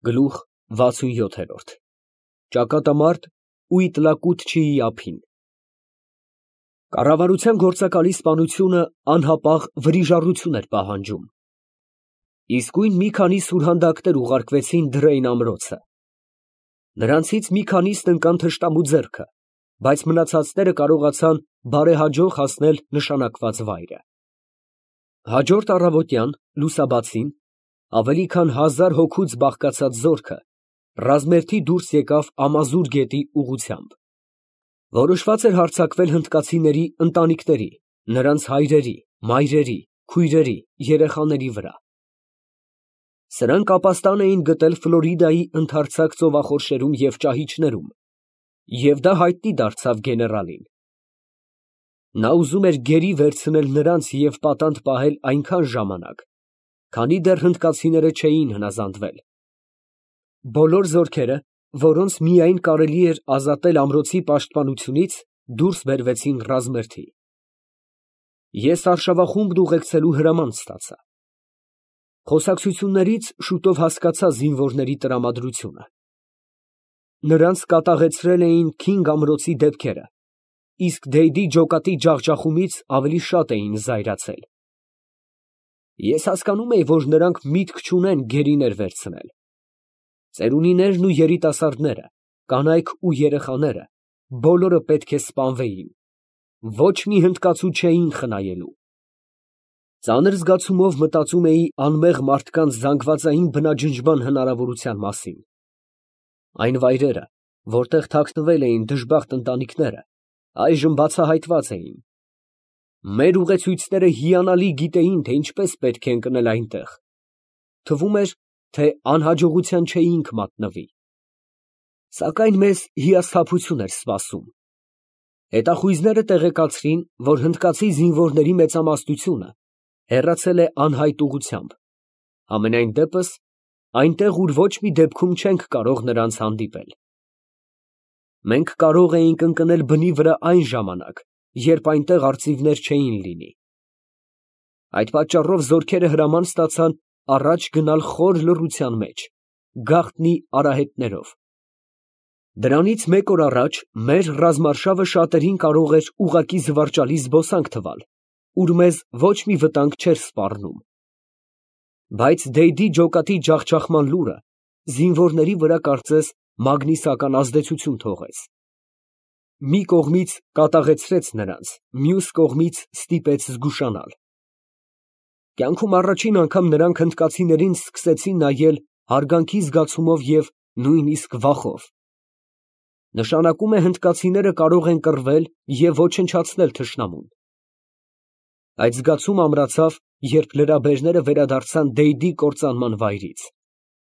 Գլուխ 67 Ճակատամարտ Ուիտլակուտչիի ափին Կառավարության գործակալի սպանությունը անհապաղ վրիժառություն էր պահանջում։ Իսկույն մի քանի սուրհանդակներ ուղարկվեցին Դրեյն ամրոցը։ Նրանցից մի քանիսն ընկան թշնամու ձեռքը, բայց մնացածները կարողացան բարեհաջող հասնել նշանակված վայրը։ Հաջորդ առավոտյան լուսաբացին ավելի քան 1000 հոգուց բաղկացած զորքը ռազմերթի դուրս եկավ Ամազուր գետի ուղղությամբ։ Որոշված էր հարձակվել հնդկացիների ընտանիքների, նրանց հայրերի, մայրերի, քույրերի, երեխաների վրա։ Սրանք ապաստան էին գտել Ֆլորիդայի ընդարձակ ծովախորշերում և ճահիճներում, և դա հայտնի դարձավ գեներալին։ Նա ուզում էր գերի վերցնել նրանց և պատանդ պահել այնքան ժամանակ, քանի դեռ հնդկացիները չէին հնազանդվել։ Բոլոր զորքերը, որոնց միայն կարելի էր ազատել ամրոցի պաշտպանությունից, դուրս բերվեցին ռազմերթի։ Ես արշավախումբն ուղեկցելու հրաման ստացա։ Խոսակցություններից շուտով հասկացա զինվորների տրամադրությունը։ Նրանց կատաղեցրել էին Քինգ ամրոցի դեպքերը, իսկ Դեյդի ջոկատի ջախջախումից ավելի շատ էին զայրացել։ Ես հասկանում էի, որ նրանք միտք չունեն գերիներ վերցնել։ Ծերունիներն ու երիտասարդները, կանայք ու երեխաները բոլորը պետք է սպանվեին։ Ոչ մի հնդկացու չէին խնայելու։ Ծանր զգացումով մտածում էի անմեղ մարդկանց զանգվածային բնաջնջման հնարավորության մասին։ Այն վայրերը, որտեղ թաքնվել էին դժբախտ ընտանիքները, այժմ բացահայտված էին։ Մեր ուղեցույցները հիանալի գիտեին, թե ինչպես պետք է ընկնել այնտեղ։ Թվում էր, թե անհաջողության չէինք մատնվի։ Սակայն մեզ հիասթափություն էր սպասում։ Հետախույզները տեղեկացրին, որ հնդկացի զինվորների մեծամասնությունը հեռացել է անհայտ ուղղությամբ, համենայն դեպս այնտեղ, ուր ոչ մի դեպքում չենք կարող նրանց հանդիպել։ Մենք կարող էինք ընկնել բնի վրա այն ժամանակ, երբ այնտեղ արծիվներ չէին լինի։ Այդ պատճառով զորքերը հրաման ստացան առաջ գնալ խոր լռության մեջ, գաղտնի արահետներով։ Դրանից մեկ օր առաջ մեր ռազմարշավը շատերին կարող էր ուղղակի զվարճալի զբոսանք թվալ, ուր մեզ ոչ մի վտանգ չէր սպառնում։ Բայց Դեյդի ջոկատի ջախջախման լուրը զինվորների վրա կարծես մագնիսական ազդեցություն թողեց։ Մի կողմից կատաղեցրեց նրանց, մյուս կողմից ստիպեց զգուշանալ։ Կյանքում առաջին անգամ նրանք հնդկացիներին սկսեցին նայել հարգանքի զգացումով և նույնիսկ վախով։ Նշանակում է հնդկացիները կարող են կռվել և ոչնչացնել թշնամուն։ Այդ զգացումը ամրացավ, երբ լրաբերները վերադարձան Դեյդի կործանման վայրից,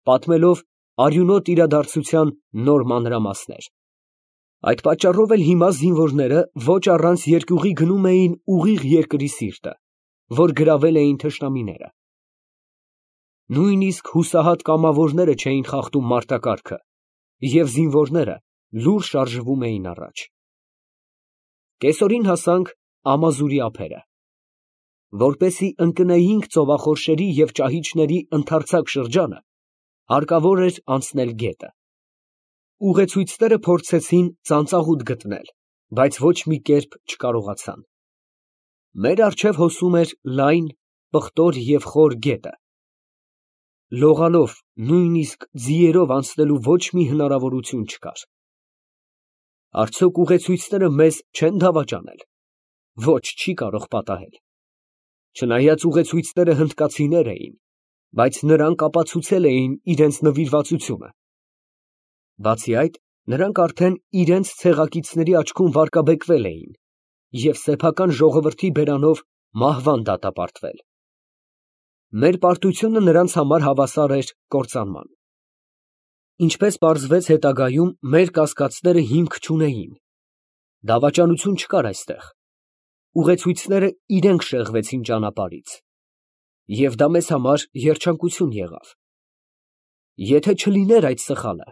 պատմելով արյունոտ իրադարձության նոր մանրամասներ։ Այդ պատճառով էլ հիմա զինվորները ոչ առանց երկյուղի գնում էին ուղիղ երկրի սիրտը, որ գրավել էին թշնամիները։ Նույնիսկ հուսահատ կամավորները չէին խախտում մարտակարգը, և զինվորները լուռ շարժվում էին առաջ։ Կեսօրին հասանք Ամազուրի ափերը։ Որպեսզի ընկնեինք ծովախորշերի և ճահիճների ընդարձակ շրջանը, հարկավոր էր անցնել գետը։ Ուղեցույցները փորձեցին ծանծաղուտ գտնել, բայց ոչ մի կերպ չկարողացան։ Մեր առջև հոսում էր լայն, պղտոր և խոր գետը։ Լողալով, նույնիսկ ձիերով անցնելու ոչ մի հնարավորություն չկար։ Արդյոք ուղեցույցները մեզ չեն դավաճանել։ Ոչ, չի կարող պատահել։ Չնայած ուղեցույցները հնդկացիներ էին, բայց նրանք ապացուցել էին իրենց նվիրվածությունը։ Բացի այդ, նրանք արդեն իրենց ցեղակիցների աչքում վարկաբեկվել էին և սեփական ժողովրդի բերանով մահվան դատապարտվել։ Մեր պարտությունը նրանց համար հավասար էր կործանման։ Ինչպես պարզվեց հետագայում, մեր կասկածները հիմք չունեին։ Դավաճանություն չկար այստեղ։ Ուղեցույցները իրենք շեղվեցին ճանապարհից։ Եվ դա մեզ համար երջանկություն եղավ։ Եթե չլիներ այդ սխալը,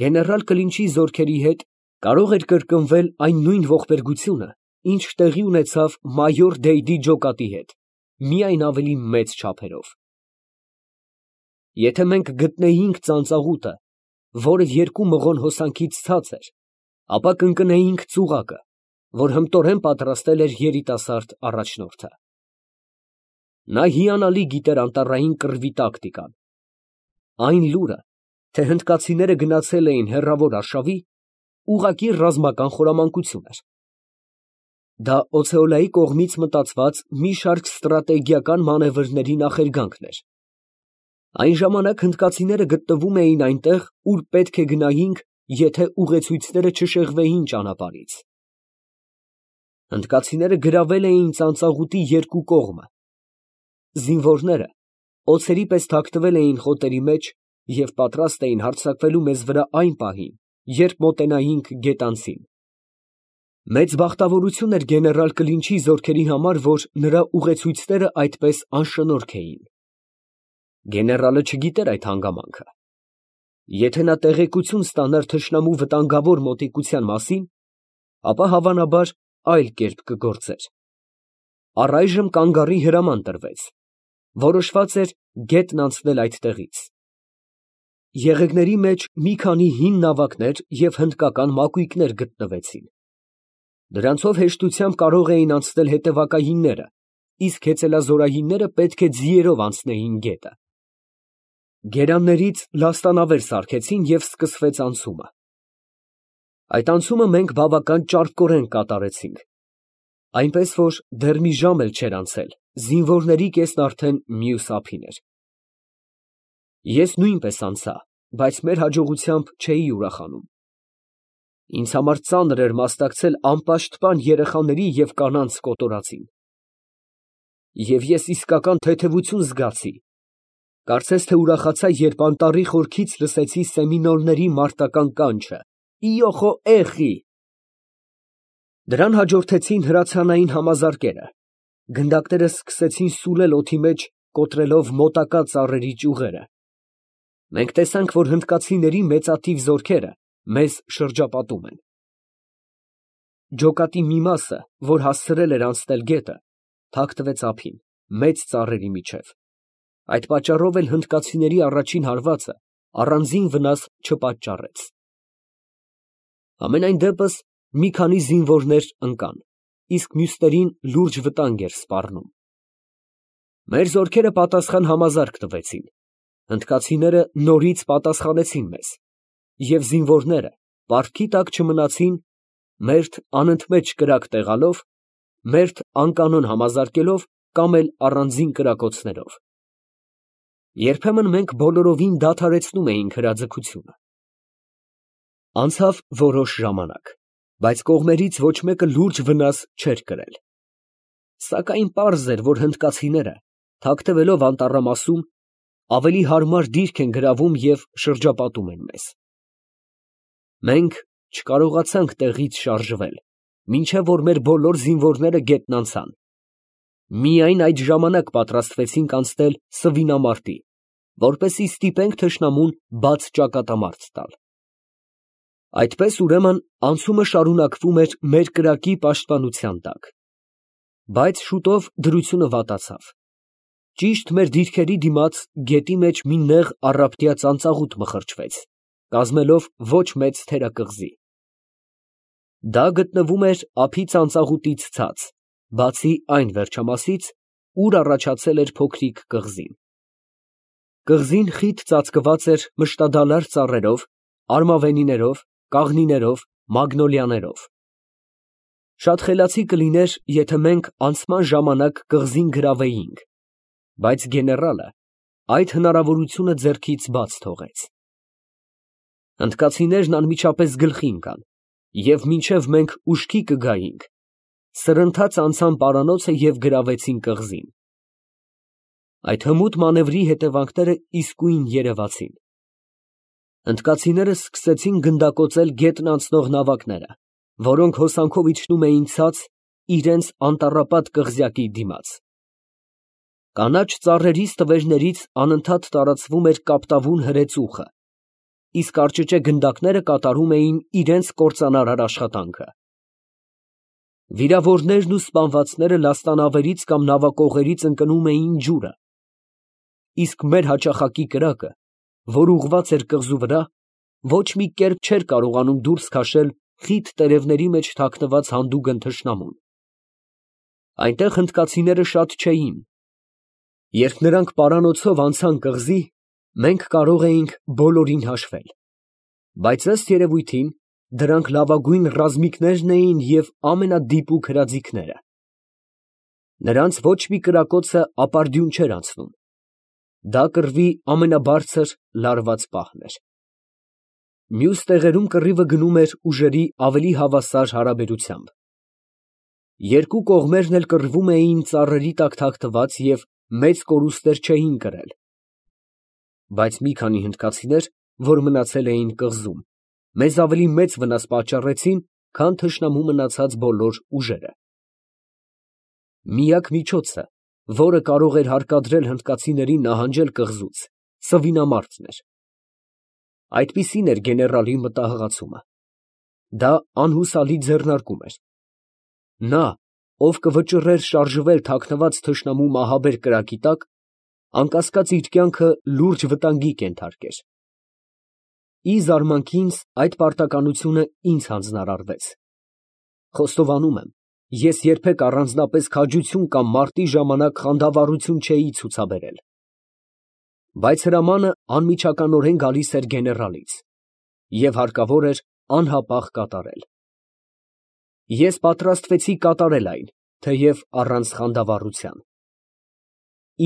գեներալ Կլինչի զորքերի հետ կարող էր կրկնվել այն նույն ողբերգությունը, ինչ տեղի ունեցավ մայոր Դեյդի ջոկատի հետ, միայն ավելի մեծ չափերով։ Եթե մենք գտնեինք ծանծաղուտը, որը երկու մղոն հոսանքից ցած էր, ապա կընկնեինք ծուղակը, որ հմտորեն պատրաստել էր երիտասարդ առաջնորդը։ Նա հիանալի գիտեր անտառային կռվի տակտիկան։ Այն լուրը, թե հնդկացիները գնացել էին հեռավոր արշավի, ուղղակի ռազմական խորամանկություն էր։ Դա Օցեոլայի կողմից մտածված մի շարք ստրատեգիական մանևրների նախերգանքն էր։ Այն ժամանակ հնդկացիները գտնվում էին այնտեղ, ուր պետք է գնայինք, եթե ուղեցույցները չշեղվեին ճանապարհից։ Հնդկացիները գրավել էին ծանծաղուտի երկու կողմը։ Զինվորները օձերի պես թաքնվել էին խոտերի մեջ և պատրաստ էին հարձակվելու մեզ վրա այն պահին, երբ մոտենայինք գետանցին։ Մեծ բախտավորություն էր գեներալ Կլինչի զորքերի համար, որ նրա ուղեցույցները այդպես անշնորհք էին։ Գեներալը չգիտեր այդ հանգամանքը։ Եթե նա տեղեկություն ստանար թշնամու վտանգավոր մոտիկության մասին, ապա հավանաբար այլ կերպ կգործեր։ Առայժմ կանգառի հրաման տրվեց։ Որոշված էր գետն անցնել այդտեղից։ Եղեգների մեջ մի քանի հին նավակներ և հնդկական մակույկներ գտնվեցին։ Դրանցով հեշտությամբ կարող էին անցնել հետևակայինները, իսկ հեծելազորայինները պետք է ձիերով անցնեին գետը։ Գերաններից լաստանավեր սարքեցին և սկսվեց անցումը։ Այդ անցումը մենք բավական ճարպկորեն կատարեցինք, այնպես որ դեռ մի ժամ էլ չէր անցել, զինվորների կեսն արդեն մյուս ափին էր։ Ես նույնպես անցա, բայց մեր հաջողությամբ չէի ուրախանում։ Ինձ համար ծանր էր մասնակցել անպաշտպան երեխաների և կանանց կոտորածին։ Եվ ես իսկական թեթևություն զգացի, կարծես թե ուրախացա, երբ անտառի խորքից լսեցի սեմինոլների մարտական կանչը. «Իոխո էխի»։ Դրան հաջորդեցին հրացանային համազարկերը։ Գնդակները սկսեցին սուլել օդի մեջ, կոտրելով մոտակա ծառերի ճյուղերը։ Մենք տեսանք, որ հնդկացիների մեծաթիվ զորքերը մեզ շրջապատում են։ Ջոկատի մի մասը, որ հասցրել էր անցնել գետը, թաքնվեց ափին, մեծ ծառերի միջև։ Այդ պատճառով էլ հնդկացիների առաջին հարվածը առանձին վնաս չպատճառեց։ Համենայն դեպս մի քանի զինվորներ ընկան, իսկ մյուսներին լուրջ վտանգ էր սպառնում։ Մեր զորքերը պատասխան համազարկ տվեցին։ Հնդկացիները նորից պատասխանեցին մեզ, և զինվորները պարտքի տակ չմնացին, մերթ անընդմեջ կրակ տեղալով, մերթ անկանոն համազարկելով կամ էլ առանձին կրակոցներով։ Երբեմն մենք բոլորովին դադարեցնում էինք հրաձգությունը։ Անցավ որոշ ժամանակ, բայց կողմերից ոչ մեկը լուրջ վնաս չէր կրել։ Սակայն պարզ էր, որ հնդկացիները, թաքնվելով անտառամասում, ավելի հարմար դիրք են գրավում և շրջապատում են մեզ։ Մենք չկարողացանք տեղից շարժվել, մինչև որ մեր բոլոր զինվորները գետն անցան։ Միայն այդ ժամանակ պատրաստվեցինք անցնել Սվինամարտի, որպեսզի ստիպենք թշնամուն բաց ճակատամարտ տալ։ Այդպես, ուրեմն, անցումը շարունակվում էր մեր կրակի պաշտպանության տակ։ Բայց շուտով դրությունը վատացավ։ Ճիշտ մեր դիրքերի դիմաց գետի մեջ մի նեղ առապտյա ծանծաղուտ մխրճվեց, կազմելով ոչ մեծ թերակղզի։ Դա գտնվում էր ափի ծանծաղուտից ցած, բացի այն վերջամասից, ուր առաջացել էր փոքրիկ կղզին։ Կղզին խիտ ծածկված էր մշտադալար ծառերով, արմավենիներով, կաղնիներով, մագնոլիաներով։ Շատ խելացի կլիներ, եթե մենք անցման ժամանակ կղզին գրավեինք, բայց գեներալը այդ հնարավորությունը ձեռքից բաց թողեց։ Հնդկացիներն անմիջապես գլխի ընկան, և մինչև մենք ուշքի կգայինք, սրընթաց անցան պարանոցը և գրավեցին կղզին։ Այդ հմուտ մանևրի հետևանքները իսկույն երևացին։ Հնդկացիները սկսեցին գնդակոծել գետն անցնող նավակները, որոնք հոսանքով իջնում էին ցած իրենց անտառապատ կղզյակի դիմաց։ Կանաչ ծառերի ստվերներից անընդհատ տարածվում էր կապտավուն հրեցուխը, իսկ արճճե գնդակները կատարում էին իրենց կործանարար աշխատանքը։ Վիրավորներն ու սպանվածները լաստանավերից կամ նավակողերից ընկնում էին ջուրը, իսկ մեր հաճախակի կրակը, որ ուղղված էր կղզու վրա, ոչ մի կերպ չէր կարողանում դուրս քաշել խիտ տերևների մեջ թաքնված հանդուգն թշնամուն։ Այնտեղ հնդկացիները շատ չէին։ Երբ նրանք պարանոցով անցան կղզի, մենք կարող էինք բոլորին հաշվել, բայց ըստ երևույթին դրանք լավագույն ռազմիկներն էին և ամենադիպուկ հրաձիգները։ Նրանց ոչ մի կրակոցը ապարդյուն չէր անցնում։ Դա կռվի ամենաբարձր լարված պահն էր։ Մյուս տեղերում կռիվը գնում էր ուժերի ավելի հավասար հարաբերությամբ։ Երկու կողմերն էլ կռվում էին ծառերի տակ թաքնված և մեծ կորուստներ չէին կրել։ Բայց մի քանի հնդկացիներ, որ մնացել էին կղզում, մեզ ավելի մեծ վնաս պատճառեցին, քան թշնամու մնացած բոլոր ուժերը։ Միակ միջոցը, որը կարող էր հարկադրել հնդկացիներին նահանջել կղզուց, սվինամարտն էր։ Այդպիսին էր գեներալի մտահղացումը։ Դա անհուսալի ձեռնարկում էր։ Նա, ով կվճռեր շարժվել թաքնված թշնամու մահաբեր կրակի տակ, անկասկած իր կյանքը լուրջ վտանգի կենթարկեր։ Ի զարմանք ինձ, այդ պարտականությունը ինձ հանձնարարվեց։ Խոստովանում եմ, ես երբեք առանձնապես քաջություն կամ մարտի ժամանակ խանդավառություն չէի ցուցաբերել։ Բայց հրամանը անմիջականորեն գալիս էր գեներալից, և հարկավոր էր անհապաղ կատարել։ Ես պատրաստվեցի կատարել այն, թեև առանց խանդավառության։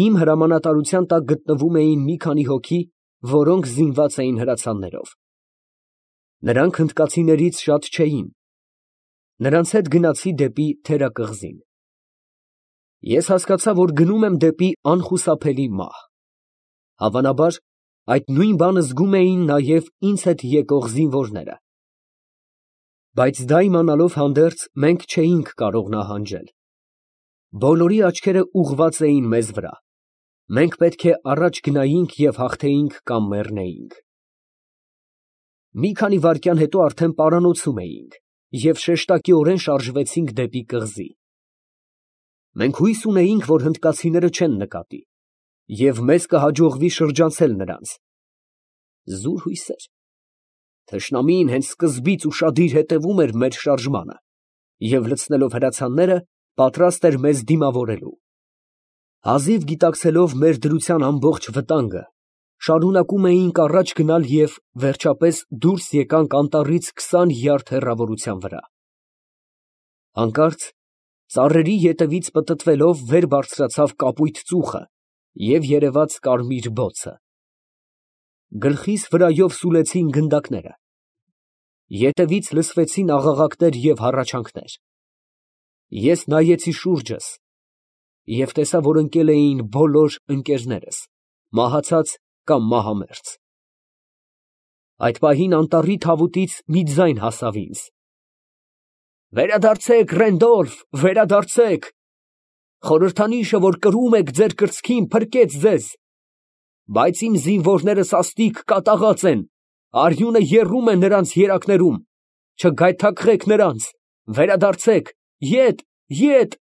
Իմ հրամանատարության տակ գտնվում էին մի քանի հոգի, որոնք զինված էին հրացաններով։ Նրանք հնդկացիներից շատ չէին։ Նրանց հետ գնացի դեպի թերակղզին։ Ես հասկացա, որ գնում եմ դեպի անխուսափելի մահ։ Հավանաբար, այդ նույն բանը զգում էին նաև ինձ հետ եկող զինվորները։ Բայց դա իմանալով հանդերձ, մենք չէինք կարող նահանջել։ Բոլորի աչքերը ուղղված էին մեզ վրա։ Մենք պետք է առաջ գնայինք և հաղթեինք կամ մեռնեինք։ Մի քանի վայրկյան հետո արդեն պարանոցում էինք և շեշտակիորեն շարժվեցինք դեպի կղզի։ Մենք հույս ունեինք, որ հնդկացիները չեն նկատի, և մեզ կհաջողվի շրջանցել նրանց։ Զուր հույսեր։ Թշնամին հենց սկզբից ուշադիր հետևում էր մեր շարժմանը և լցնելով հրացանները, պատրաստ էր մեզ դիմավորելու։ Հազիվ գիտակցելով մեր դրության ամբողջ վտանգը, շարունակում էինք առաջ գնալ և, վերջապես, դուրս եկանք անտառից 20 յարդ հեռավորության վրա։ Հանկարծ ծառերի ետևից պտտվելով վեր բարձրացավ կապույտ ծուխը և երևաց կարմիր բոցը։ Գլխիս վրայով սուլեցին գնդակները։ Ետևից լսվեցին աղաղակներ և հառաչանքներ։ Ես նայեցի շուրջս և տեսա, որ ընկել էին բոլոր ընկերներս, մահացած կամ մահամերձ։ Այդ պահին անտառի թավուտից մի ձայն հասավ ինձ. «Վերադարձեք, Ռենդոլֆ, վերադարձեք. խորհրդանիշը, որ կրում եք ձեր կրծքին, փրկեց ձեզ, բայց իմ զինվորները սաստիկ կատաղած են, արյունը եռում է նրանց երակներում, չգայթակղեք նրանց, վերադարձեք, ետ, ետ»։